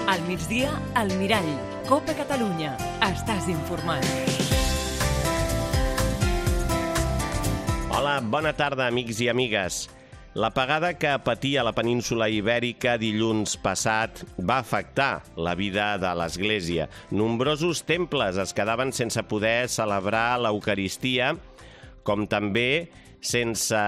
Al migdia, al Mirall. Copa Catalunya. Estàs informat. Hola, bona tarda, amics i amigues. L'apagada que patia la península Ibèrica dilluns passat va afectar la vida de l'Església. Nombrosos temples es quedaven sense poder celebrar l'Eucaristia, com també sense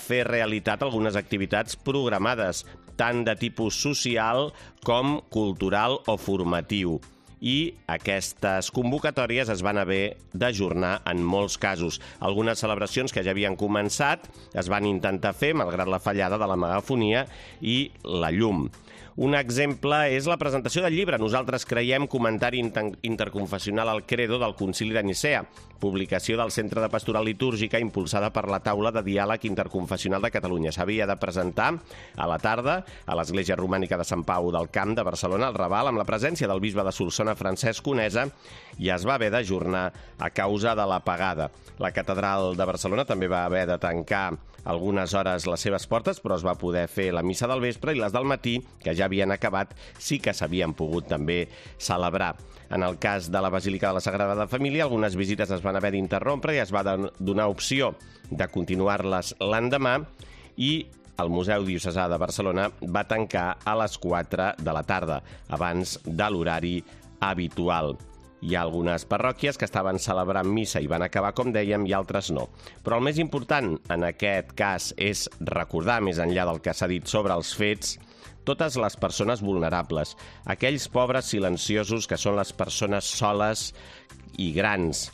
fer realitat algunes activitats programades, tant de tipus social com cultural o formatiu. I aquestes convocatòries es van haver d'ajornar en molts casos. Algunes celebracions que ja havien començat es van intentar fer, malgrat la fallada de la megafonia i la llum. Un exemple és la presentació del llibre Nosaltres creiem, comentari interconfessional al Credo del Concili de Nicea, publicació del Centre de Pastoral Litúrgica impulsada per la Taula de Diàleg Interconfessional de Catalunya. S'havia de presentar a la tarda a l'Església Romànica de Sant Pau del Camp de Barcelona, al Raval, amb la presència del bisbe de Solsona, Francesc Conesa, i es va haver d'ajornar a causa de l'apagada. La Catedral de Barcelona també va haver de tancar algunes hores les seves portes, però es va poder fer la missa del vespre i les del matí, que ja havien acabat, sí que s'havien pogut també celebrar. En el cas de la Basílica de la Sagrada Família, algunes visites es van haver d'interrompre i es va donar opció de continuar-les l'endemà, i el Museu Diocesà de Barcelona va tancar a les 4 de la tarda, abans de l'horari habitual. Hi ha algunes parròquies que estaven celebrant missa i van acabar, com dèiem, i altres no. Però el més important en aquest cas és recordar, més enllà del que s'ha dit sobre els fets, totes les persones vulnerables, aquells pobres silenciosos que són les persones soles i grans,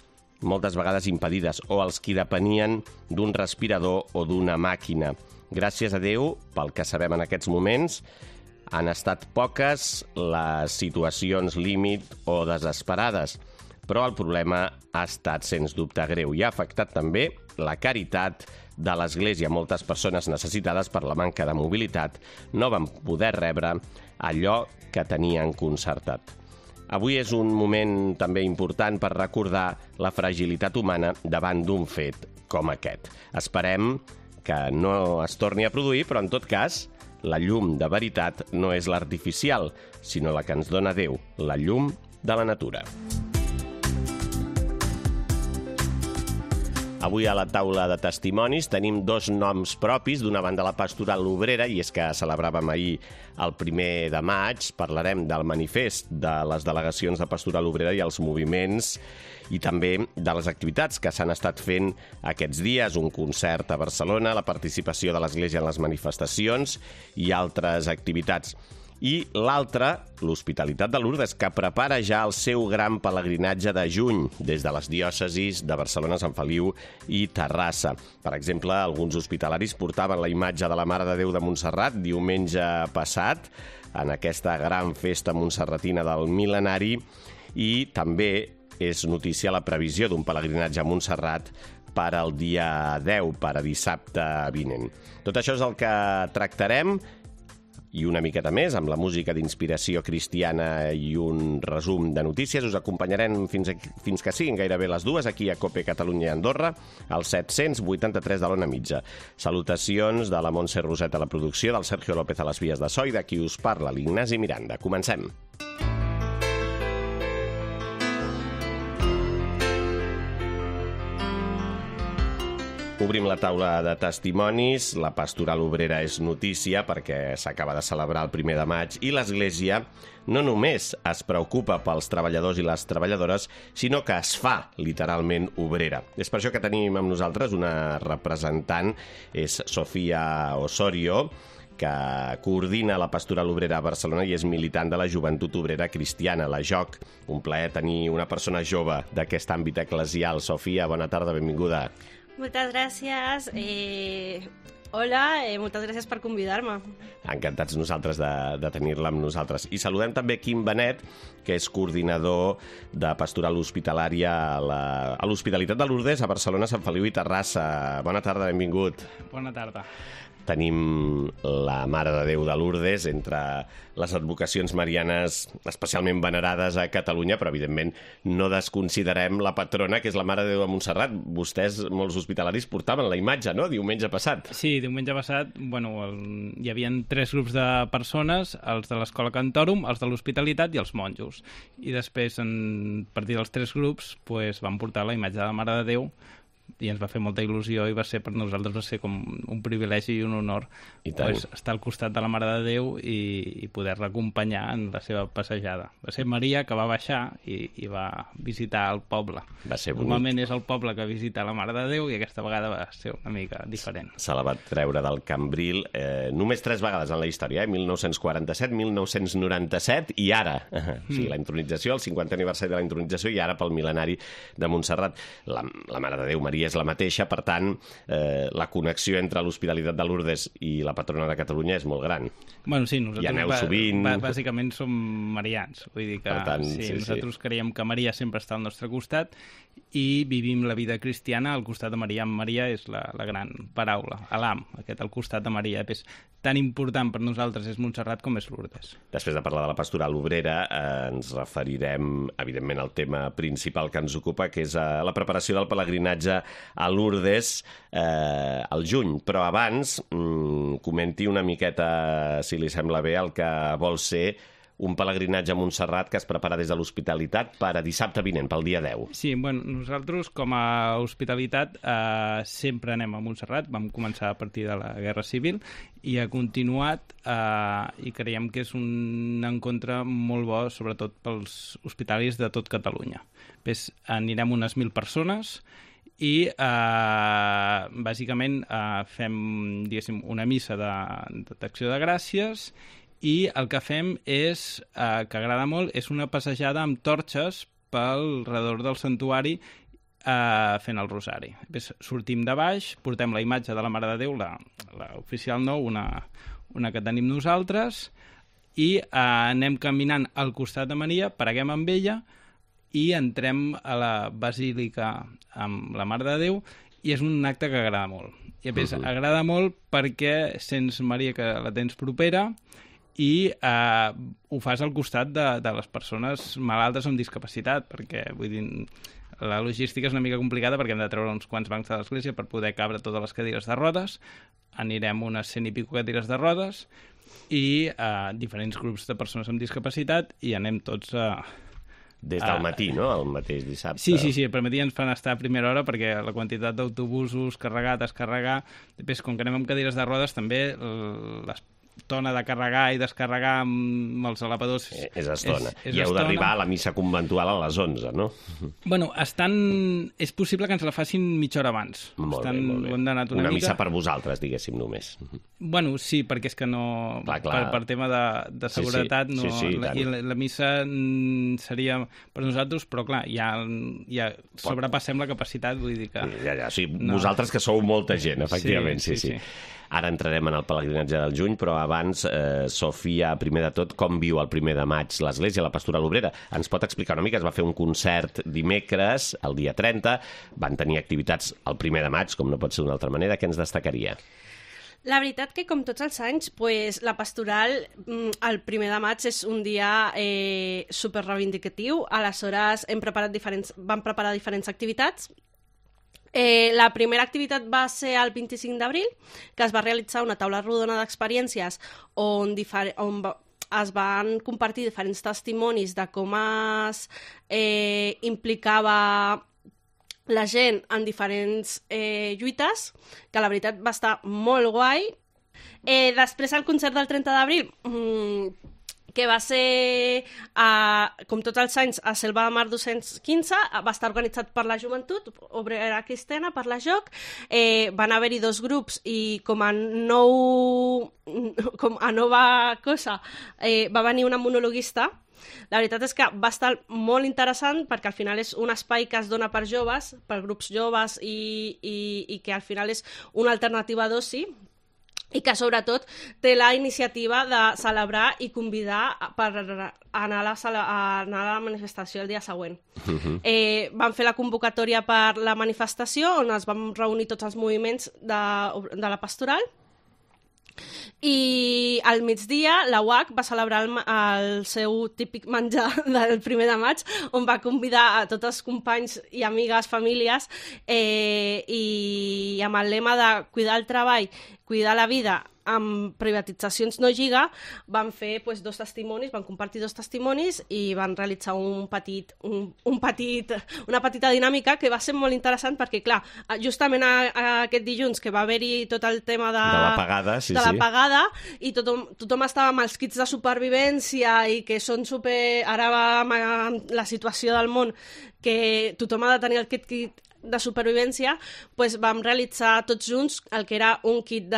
moltes vegades impedides, o els qui depenien d'un respirador o d'una màquina. Gràcies a Déu, pel que sabem en aquests moments, han estat poques les situacions límit o desesperades, però el problema ha estat, sens dubte, greu i ha afectat també la caritat de l'Església. Moltes persones necessitades per la manca de mobilitat no van poder rebre allò que tenien concertat. Avui és un moment també important per recordar la fragilitat humana davant d'un fet com aquest. Esperem que no es torni a produir, però en tot cas, la llum de veritat no és l'artificial, sinó la que ens dona Déu, la llum de la natura. Avui a la taula de testimonis tenim dos noms propis, d'una banda la Pastoral Obrera, i és que celebràvem ahir el 1 de maig, parlarem del manifest de les delegacions de Pastoral Obrera i els moviments, i també de les activitats que s'han estat fent aquests dies, un concert a Barcelona, la participació de l'Església en les manifestacions i altres activitats. I l'altra, l'Hospitalitat de Lourdes, que prepara ja el seu gran pelegrinatge de juny des de les diòcesis de Barcelona, Sant Feliu i Terrassa. Per exemple, alguns hospitalaris portaven la imatge de la Mare de Déu de Montserrat diumenge passat en aquesta gran festa montserratina del mil·lenari, i també és notícia la previsió d'un pelegrinatge a Montserrat per al dia 10, per a dissabte vinent. Tot això és el que tractarem, i una miqueta més, amb la música d'inspiració cristiana i un resum de notícies. Us acompanyarem fins que siguin gairebé les 2, aquí a Copa Catalunya i Andorra, al 783 de l'Ona Mitja. Salutacions de la Montse Roset a la producció, del Sergio López a les vies de so i de qui us parla, l'Ignasi Miranda. Comencem. Obrim la taula de testimonis. La Pastoral Obrera és notícia perquè s'acaba de celebrar el 1 de maig i l'Església no només es preocupa pels treballadors i les treballadores, sinó que es fa literalment obrera. És per això que tenim amb nosaltres una representant, és Sofia Osorio, que coordina la Pastoral Obrera a Barcelona i és militant de la Joventut Obrera Cristiana, la JOC. Un plaer tenir una persona jove d'aquest àmbit eclesial. Sofia, bona tarda, benvinguda. Moltes gràcies. Hola, moltes gràcies per convidar-me. Encantats nosaltres de tenir-la amb nosaltres. I saludem també Quim Benet, que és coordinador de pastoral hospitalària a l'Hospitalitat de Lourdes, a Barcelona, Sant Feliu i Terrassa. Bona tarda, benvingut. Bona tarda. tenim la Mare de Déu de Lourdes entre les advocacions marianes especialment venerades a Catalunya, però evidentment no desconsiderem la patrona, que és la Mare de Déu de Montserrat. Vostès, molts hospitalaris, portaven la imatge, no?, diumenge passat. Sí, diumenge passat, hi havia 3 grups de persones, els de l'Escola Cantòrum, els de l'Hospitalitat i els monjos. I després, a partir dels 3 grups, van portar la imatge de la Mare de Déu, i ens va fer molta il·lusió i per nosaltres va ser com un privilegi i un honor estar al costat de la Mare de Déu i poder-la acompanyar en la seva passejada. Va ser Maria que va baixar i va visitar el poble. Va ser bonic. Normalment és el poble que visita la Mare de Déu i aquesta vegada va ser una mica diferent. Se la va treure del Cambril només 3 vegades en la història, 1947, 1997 i ara. O sigui, la intronització, el 50è aniversari de la intronització i ara pel mil·lenari de Montserrat. La Mare de Déu, Maria, és la mateixa, per tant, la connexió entre l'Hospitalitat de Lourdes i la patrona de Catalunya és molt gran. Bueno, sí, nosaltres hi aneu sovint. Bàsicament som marians, vull dir que nosaltres creiem que Maria sempre està al nostre costat i vivim la vida cristiana al costat de Maria. Maria és la gran paraula, l'am, aquest al costat de Maria. És tan important per nosaltres és Montserrat com és Lourdes. Després de parlar de la pastoral obrera, ens referirem, evidentment, al tema principal que ens ocupa, que és la preparació del pelegrinatge a Lourdes al juny. Però abans, comenti una miqueta, si li sembla bé, el que vol ser un pelegrinatge a Montserrat que es prepara des de l'Hospitalitat per a dissabte vinent, pel dia 10. Sí, nosaltres com a Hospitalitat sempre anem a Montserrat. Vam començar a partir de la Guerra Civil i ha continuat i creiem que és un encontre molt bo, sobretot pels hospitalaris de tot Catalunya. Anirem unes 1.000 persones i bàsicament fem, diguéssim, una missa d'acció de gràcies i el que fem és, que agrada molt, és una passejada amb torxes pel redor del santuari fent el rosari. Sortim de baix, portem la imatge de la Mare de Déu, l'oficial nou, una que tenim nosaltres, i anem caminant al costat de Maria, preguem amb ella i entrem a la basílica amb la Mare de Déu i és un acte que agrada molt. I a més, agrada molt perquè sents, Maria, que la tens propera i ho fas al costat de les persones malaltes amb discapacitat, perquè, vull dir, la logística és una mica complicada perquè hem de treure uns quants bancs de l'església per poder cabre totes les cadires de rodes. Anirem unes 100 i pico cadires de rodes i diferents grups de persones amb discapacitat i anem tots des del matí, no?, el mateix dissabte. Sí, per matí ens fan estar a primera hora perquè la quantitat d'autobusos, carregar, descarregar... Després, com que anem amb cadires de rodes, també l'estona de carregar i descarregar amb els elevadors... És estona. I heu d'arribar a la missa conventual a les 11, no? Bueno, és possible que ens la facin mitja hora abans. Molt bé. Una missa per vosaltres, diguéssim, només. Bueno, sí, perquè és que no... Per tema de seguretat, no. I la missa seria per nosaltres, però clar, ja sobrepassem la capacitat, vull dir que... Sí, vosaltres que sou molta gent, efectivament, sí. Ara entrarem en el pelegrinatge del juny, però abans, Sofia, primer de tot, com viu el 1 de maig l'Església, la Pastoral Obrera? Ens pot explicar una mica? Es va fer un concert dimecres, el dia 30, van tenir activitats el 1 de maig, com no pot ser d'una altra manera. Què ens destacaria? La veritat que, com tots els anys, la pastoral, el 1 de maig és un dia superreivindicatiu. Aleshores, vam preparar diferents activitats. La primera activitat va ser el 25 d'abril, que es va realitzar una taula rodona d'experiències on es van compartir diferents testimonis de com es implicava la gent en diferents lluites, que la veritat va estar molt guai. Després el concert del 30 d'abril, que va ser, com tots els anys, a Selva de Mar 215, va estar organitzat per la Joventut Obrera Cristiana, per la JOC. Van haver-hi 2 grups i com a nova cosa va venir una monologuista. La veritat és que va estar molt interessant perquè al final és un espai que es dona per joves, per grups joves i que al final és una alternativa d'oci i que sobretot té la iniciativa de celebrar i convidar per anar a la manifestació el dia següent. Vam fer la convocatòria per la manifestació on es van reunir tots els moviments de la pastoral I al migdia la UAC va celebrar el seu típic menjar del 1 de maig, on va convidar a tots els companys i amigues, famílies, i amb el lema de cuidar el treball, cuidar la vida, amb privatitzacions no lliga, van fer dos testimonis, van compartir 2 testimonis i van realitzar una petita dinàmica que va ser molt interessant perquè, clar, justament aquest dilluns que va haver-hi tot el tema de la pagada, la pagada, i tothom estava amb els kits de supervivència i que són ara amb la situació del món que tothom ha de tenir el kit de supervivència, doncs vam realitzar tots junts el que era un kit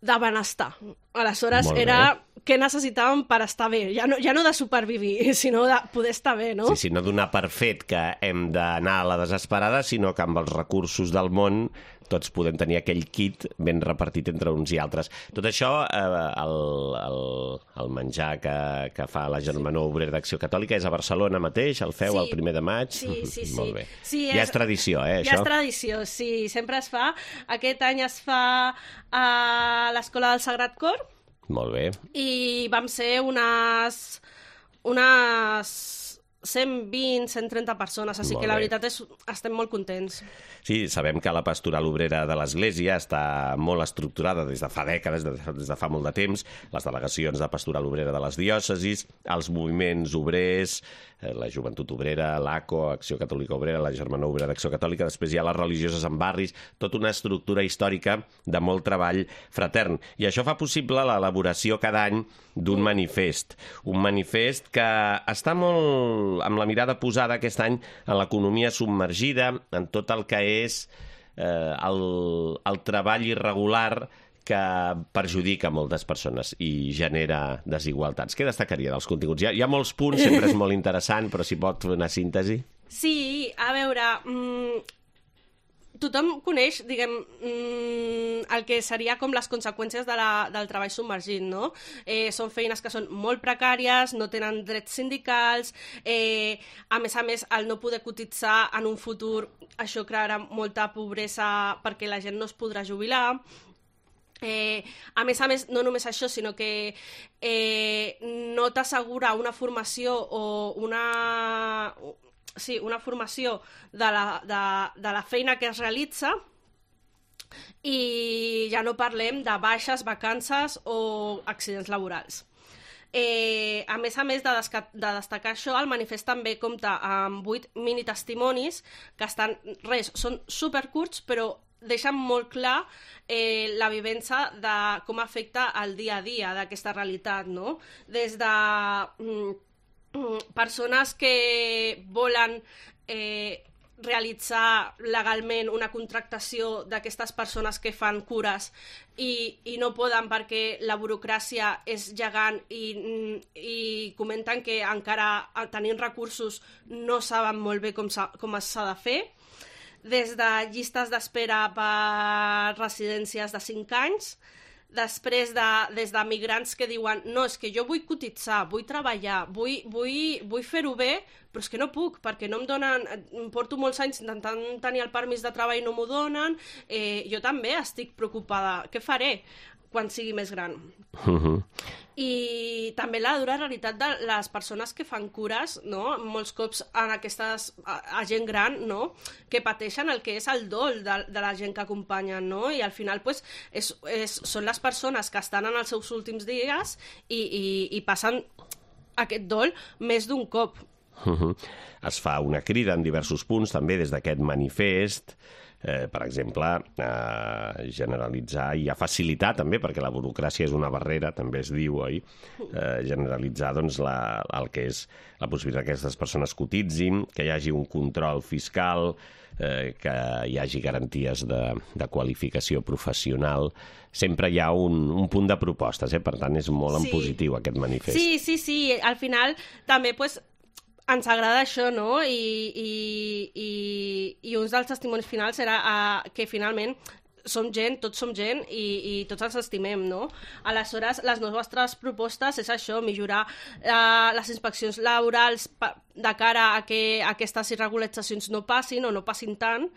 de benestar. Aleshores, era què necessitàvem per estar bé. Ja no de supervivir, sinó de poder estar bé, no? Sí, no donar per fet que hem d'anar a la desesperada, sinó que amb els recursos del món tots podem tenir aquell kit ben repartit entre uns i altres. Tot això, el menjar que fa la Germanor Obrera d'Acció Catòlica és a Barcelona mateix, el feu el 1 de maig? Sí. Molt bé. Sí, ja és tradició, això? Ja és tradició, sí. Sempre es fa. Aquest any es fa a l'Escola del Sagrat Cor. Molt bé. I vam ser unes 120, 130 persones, així que la veritat és estem molt contents. Sí, sabem que la pastoral obrera de l'Església està molt estructurada des de fa dècades, des de fa molt de temps, les delegacions de pastoral obrera de les diòcesis, els moviments obrers, la Joventut Obrera, l'ACO, Acció Catòlica Obrera, la Germanor Obrera d'Acció Catòlica, després hi ha les religioses en barris, tota una estructura històrica de molt treball fratern. I això fa possible l'elaboració cada any d'un manifest. Un manifest que està molt amb la mirada posada aquest any en l'economia submergida, en tot el que és el treball irregular que perjudica moltes persones i genera desigualtats. Què destacaria dels continguts? Hi ha molts punts, sempre és molt interessant, però si pot fer una síntesi. Sí, a veure, tothom coneix, diguem, el que seria com les conseqüències del treball submergit, no? Són feines que són molt precàries, no tenen drets sindicals, a més, el no poder cotitzar en un futur, això crearà molta pobresa perquè la gent no es podrà jubilar. A més, no només això, sinó que no t'assegura una formació o una formació de la feina que es realitza, i ja no parlem de baixes, vacances o accidents laborals. A més de destacar això, el manifest també compta amb 8 minitestimonis que són supercurts, però deixen molt clar la vivència de com afecta el dia a dia d'aquesta realitat, no? Des de persones que volen realitzar legalment una contractació d'aquestes persones que fan cures i no poden perquè la burocràcia és gegant i comenten que encara tenint recursos no saben molt bé com s'ha de fer. Des de llistes d'espera per residències de 5 anys, després des de migrants que diuen no, és que jo vull cotitzar, vull treballar, vull fer-ho bé, però és que no puc, perquè no em donen, porto molts anys intentant tenir el permís de treball i no m'ho donen, jo també estic preocupada, què faré quan sigui més gran? I també la dura realitat de les persones que fan cures, no? Molts cops a gent gran, no? Que pateixen el que és el dol de la gent que acompanyen, no? I al final són les persones que estan en els seus últims dies i passen aquest dol més d'un cop. Es fa una crida en diversos punts també des d'aquest manifest, per exemple, generalitzar i a facilitar també, perquè la burocràcia és una barrera, també es diu, oi? Generalitzar doncs, el que és la possibilitat que aquestes persones cotitzin, que hi hagi un control fiscal, que hi hagi garanties de qualificació professional. Sempre hi ha un punt de propostes, per tant és molt en positiu aquest manifest. Sí, al final també ens agrada això, no? I un dels testimonis finals era que finalment som gent, tots som gent i tots els estimem, no? Aleshores, les nostres propostes és això, millorar les inspeccions laborals de cara a que aquestes irregularitzacions no passin o no passin tant,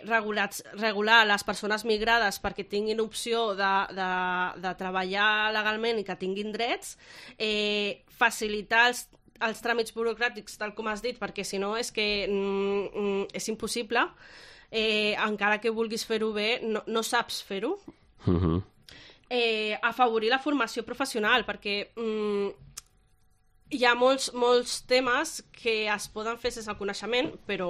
regular les persones migrades perquè tinguin opció de treballar legalment i que tinguin drets, facilitar els tràmits burocràtics, tal com has dit, perquè si no és que és impossible. Encara que vulguis fer-ho bé, no saps fer-ho. Afavorir la formació professional, perquè hi ha molts temes que es poden fer sense el coneixement, però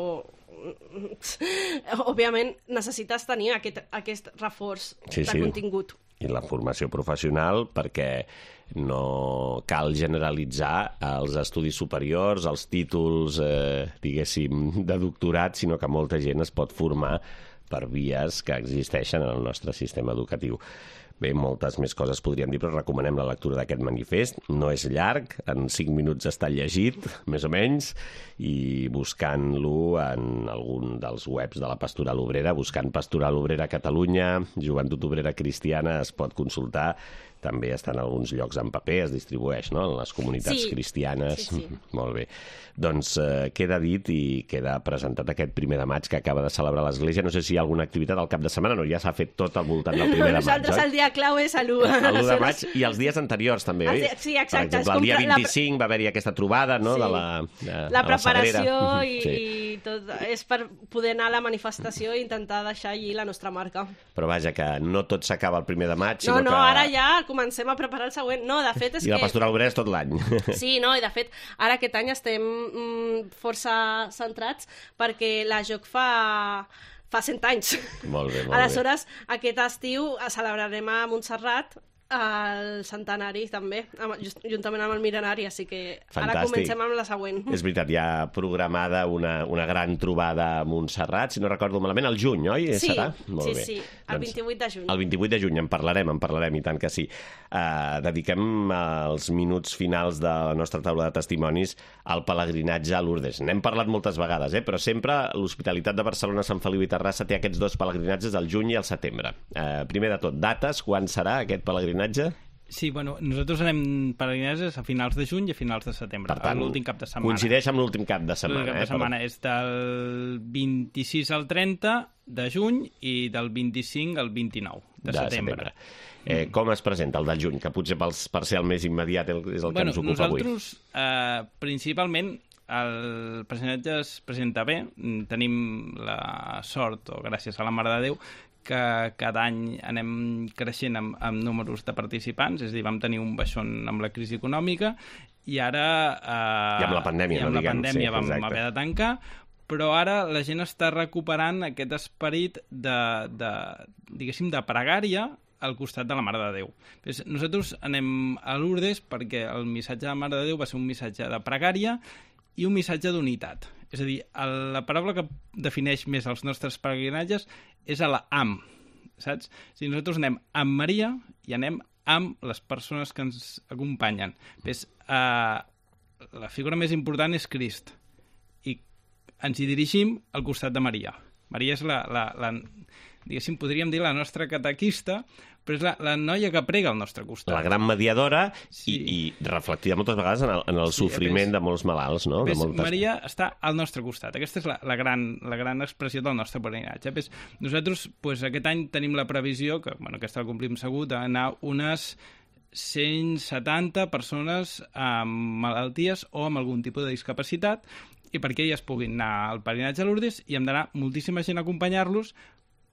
òbviament necessites tenir aquest reforç de contingut. I la formació professional, perquè no cal generalitzar els estudis superiors, els títols, diguéssim, de doctorat, sinó que molta gent es pot formar per vies que existeixen en el nostre sistema educatiu. Bé, moltes més coses podríem dir, però recomanem la lectura d'aquest manifest. No és llarg, en 5 minuts està llegit, més o menys, i buscant-lo en algun dels webs de la Pastoral Obrera, buscant Pastoral Obrera Catalunya, Joventut Obrera Cristiana, es pot consultar. També està en alguns llocs en paper, es distribueix, no?, en les comunitats cristianes. Sí. Molt bé. Doncs queda dit i queda presentat aquest 1 de maig que acaba de celebrar l'Església. No sé si hi ha alguna activitat al cap de setmana, no, ja s'ha fet tot al voltant del 1 de maig, Nosaltres el dia clau és l'1 de maig i els dies anteriors també, oi? Sí, exacte. Per exemple, el dia 25 va haver-hi aquesta trobada, no?, de la preparació i tot. És per poder anar a la manifestació i intentar deixar allí la nostra marca. Però vaja, que no tot s'acaba el 1 de maig, sinó que... No, ara ja comencem a preparar el següent. No, de fet és I la Pastoral Obrera és tot l'any. Sí, no, i de fet, ara aquest any estem força centrats perquè la JOC fa 100 anys. Molt bé, molt Aleshores, aquest estiu celebrarem a Montserrat el centenari també, juntament amb el mil·lenari, així que ara comencem amb la següent. És veritat, hi ha programada una gran trobada a Montserrat, si no recordo malament, al juny, oi? Serà? Molt bé. Sí, el 28 de juny. El 28 de juny, en parlarem, i tant que sí. Dediquem els minuts finals de la nostra taula de testimonis al pelegrinatge a Lourdes. N'hem parlat moltes vegades, però sempre l'Hospitalitat de Barcelona, Sant Feliu i Terrassa té aquests 2 pelegrinatges al juny i al setembre. Primer de tot, dates, quan serà aquest pelegrinatge? Sí, bueno, nosaltres anem pelegrinatges a finals de juny i a finals de setembre, per tant, l'últim cap de setmana. Coincideix amb l'últim cap de setmana. L'últim cap de setmana és del 26 al 30 de juny i del 25 al 29 de setembre. Com es presenta el del juny, que potser per ser el més immediat és el que ens ocupa avui? Nosaltres, principalment, el pelegrinatge es presenta bé. Tenim la sort, o gràcies a la Mare de Déu, que cada any anem creixent amb números de participants, és a dir, vam tenir un baixón amb la crisi econòmica i ara... I amb la pandèmia, no diguem. Vam haver de tancar, però ara la gent està recuperant aquest esperit diguéssim, de pregària al costat de la Mare de Déu. Nosaltres anem a Lourdes perquè el missatge de la Mare de Déu va ser un missatge de pregària i un missatge d'unitat. És a dir, la paraula que defineix més els nostres pelegrinatges és a la amb, saps? Si nosaltres anem amb Maria i anem amb les persones que ens acompanyen. La figura més important és Crist i ens hi dirigim al costat de Maria. Maria és diguéssim, podríem dir la nostra catequista, però és la noia que prega al nostre costat. La gran mediadora i reflectida moltes vegades en el sofriment de molts malalts, no? Maria està al nostre costat. Aquesta és la gran expressió del nostre pelegrinatge. Nosaltres aquest any tenim la previsió, que aquesta la complim segur, d'anar unes 170 persones amb malalties o amb algun tipus de discapacitat, i perquè elles puguin anar al pelegrinatge a Lourdes i hem d'anar moltíssima gent a acompanyar-los,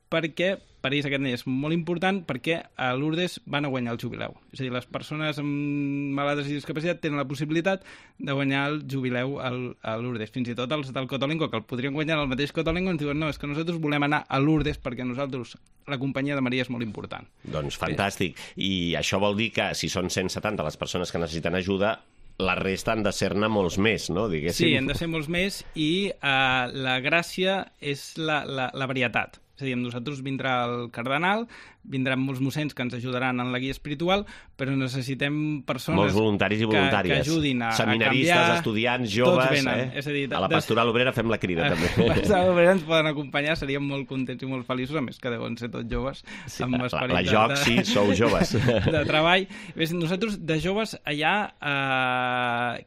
perquè per ells aquest any és molt important, perquè a Lourdes van a guanyar el jubileu. És a dir, les persones amb malaltes i discapacitat tenen la possibilitat de guanyar el jubileu a Lourdes. Fins i tot els del Cotolengo, que el podrien guanyar el mateix Cotolengo, ens diuen no, és que nosaltres volem anar a Lourdes perquè nosaltres la companyia de Maria és molt important. Doncs fantàstic. I això vol dir que si són 170 les persones que necessiten ajuda, la resta han de ser-ne molts més, no? Diguéssim. Sí, han de ser molts més i la gràcia és la varietat. És a dir, amb nosaltres vindrà el cardenal, vindran molts mossens que ens ajudaran en la guia espiritual, però necessitem persones... Molts voluntaris i voluntàries. Que ajudin a seminaristes, canviar... estudiants, joves... Venen. És a dir, a la Pastoral Obrera fem la crida, també. A la Pastoral Obrera ens poden acompanyar, seríem molt contents i molt feliços, a més que deuen ser tots joves, amb esperit la joc, sí, sou joves. de treball. Nosaltres, de joves, allà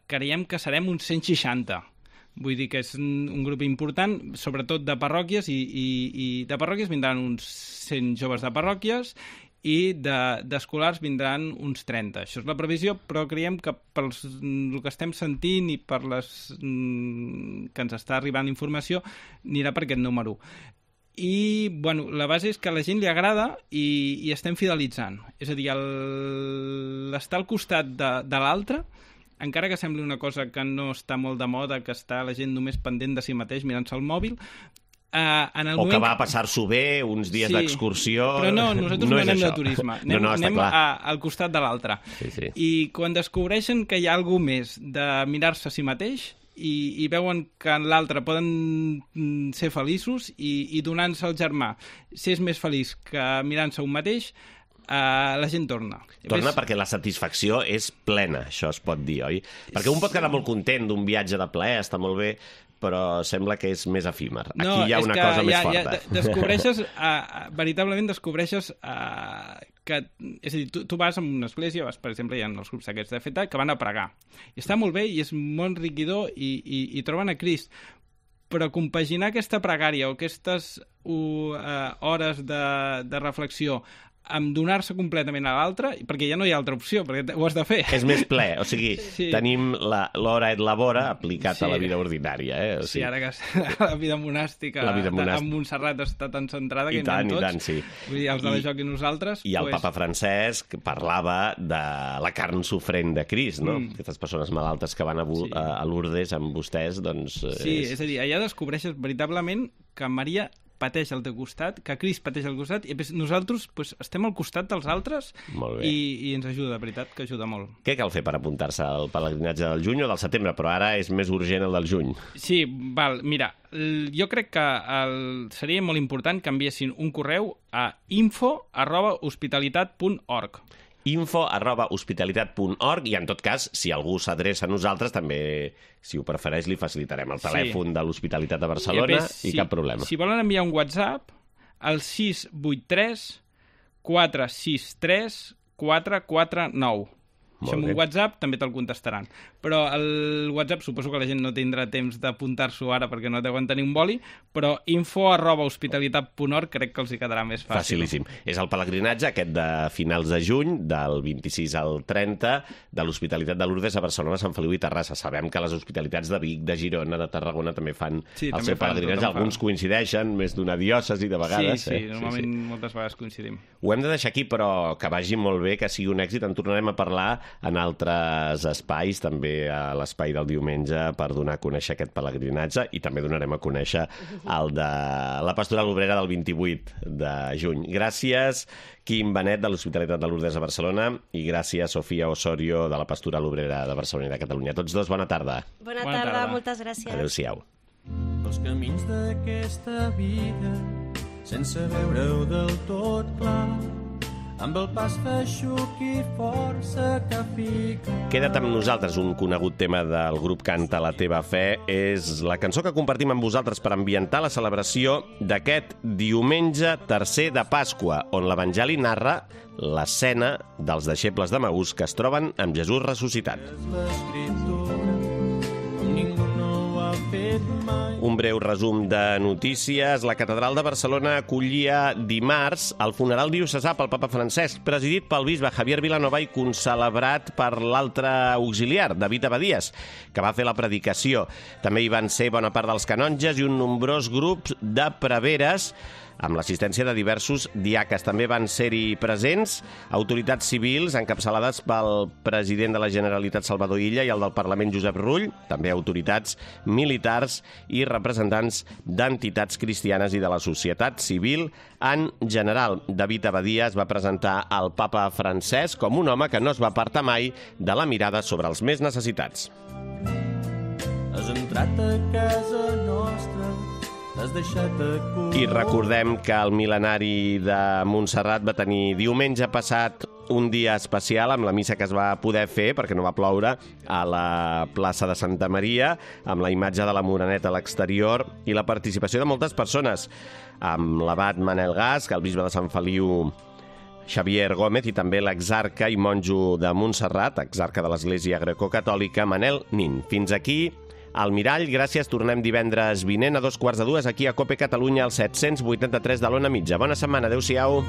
creiem que serem uns 160. Vull dir que és un grup important, sobretot de parròquies, i de parròquies vindran uns 100 joves de parròquies i d'escolars vindran uns 30. Això és la previsió, però creiem que per el que estem sentint i per que ens està arribant informació, anirà per aquest número. I, bueno, la base és que a la gent li agrada i estem fidelitzant. És a dir, l'estar al costat de l'altre, encara que sembli una cosa que no està molt de moda, que està la gent només pendent de si mateix mirant-se el mòbil, que va a passar-s'ho bé, uns dies d'excursió... Però no, nosaltres no anem de turisme, anem al costat de l'altre. Sí. I quan descobreixen que hi ha alguna més de mirar-se a si mateix i veuen que en l'altre poden ser feliços i donant-se al germà ser més feliç que mirant-se un mateix, la gent torna. Perquè la satisfacció és plena, això es pot dir, oi? Perquè un pot quedar molt content d'un viatge de plaer, està molt bé, però sembla que és més efímer. Aquí hi ha una cosa més forta. Descobreixes, veritablement descobreixes que... És a dir, tu vas a una església, per exemple, hi ha els grups aquests de feta, que van a pregar. I està molt bé i és molt enriquidor i troben a Crist. Però compaginar aquesta pregària o aquestes hores de reflexió amb donar-se completament a l'altre, perquè ja no hi ha altra opció, perquè ho has de fer. És més ple, o sigui, tenim l'hora et labora aplicat a la vida ordinària. O sigui, sí, ara que la vida monàstica amb Montserrat està tan centrada que hi anem tots. I tant, sí. Vull dir, els de la Joc i nosaltres... I el papa Francesc parlava de la carn sofrent de Crist, no? Aquestes persones malaltes que van a Lourdes amb vostès, doncs... Sí, és a dir, allà descobreixes veritablement que Maria pateix al teu costat, que Crist pateix al costat, i nosaltres estem al costat dels altres i ens ajuda, de veritat, que ajuda molt. Què cal fer per apuntar-se al pelegrinatge del juny o del setembre? Però ara és més urgent el del juny. Sí, mira, jo crec que seria molt important que enviessin un correu a info@hospitalitat.org info@hospitalitat.org i en tot cas, si algú s'adreça a nosaltres, també, si ho prefereix, li facilitarem el telèfon de l'Hospitalitat de Barcelona i cap problema. Si volen enviar un WhatsApp, al 683 463 449. Això amb un WhatsApp també te'l contestaran. Però el WhatsApp suposo que la gent no tindrà temps d'apuntar-s'ho ara perquè no deuen tenir un boli, però info@hospitalitat.org crec que els hi quedarà més fàcil. Facilíssim. És el pelegrinatge aquest de finals de juny, del 26 al 30, de l'Hospitalitat de Lourdes a Barcelona, Sant Feliu i Terrassa. Sabem que les hospitalitats de Vic, de Girona, de Tarragona també fan el seu pelegrinatge. Alguns coincideixen, més d'una diòcesi de vegades. Sí, normalment moltes vegades coincidim. Ho hem de deixar aquí, però que vagi molt bé, que sigui un èxit. En tornarem a parlar en altres espais, també a l'espai del diumenge, per donar a conèixer aquest pelegrinatge, i també donarem a conèixer el de la Pastoral Obrera del 28 de juny. Gràcies, Quim Benet, de l'Hospitalitat de Lourdes a Barcelona, i gràcies, Sofia Osorio, de la Pastoral Obrera de Barcelona i de Catalunya. Tots dos, bona tarda. Bona tarda, moltes gràcies. Adéu-siau. Els camins d'aquesta vida, sense veure-ho del tot clar, amb el pas feixuc i força que fica. Queda't amb nosaltres, un conegut tema del grup Canta la teva fe. És la cançó que compartim amb vosaltres per ambientar la celebració d'aquest diumenge tercer de Pasqua, on l'Evangeli narra l'escena dels deixebles de Maús que es troben amb Jesús ressuscitat. Un breu resum de notícies. La Catedral de Barcelona acollia dimarts el funeral diocesà pel papa Francesc, presidit pel bisbe Javier Vilanova i concelebrat per l'altre auxiliar, David Abadías, que va fer la predicació. També hi van ser bona part dels canonges i un nombrós grup de preveres, amb l'assistència de diversos diaques. També van ser-hi presents autoritats civils encapçalades pel president de la Generalitat Salvador Illa i el del Parlament Josep Rull, també autoritats militars i representants d'entitats cristianes i de la societat civil en general. David Abadías va presentar el papa Francesc com un home que no es va apartar mai de la mirada sobre els més necessitats. Has entrat a casa nostra, t'has deixat a cul. I recordem que el mil·lenari de Montserrat va tenir diumenge passat un dia especial amb la missa que es va poder fer, perquè no va ploure, a la plaça de Santa Maria, amb la imatge de la Moreneta a l'exterior i la participació de moltes persones, amb l'abat Manel Gasc, el bisbe de Sant Feliu Xavier Gómez i també l'exarca i monjo de Montserrat, exarca de l'Església Grecocatòlica, Manel Nin. Fins aquí al Mirall, gràcies. Tornem divendres vinent a 2:15 aquí a COPE Catalunya, al 783 de l'Ona Mitja. Bona setmana, adeu-siau.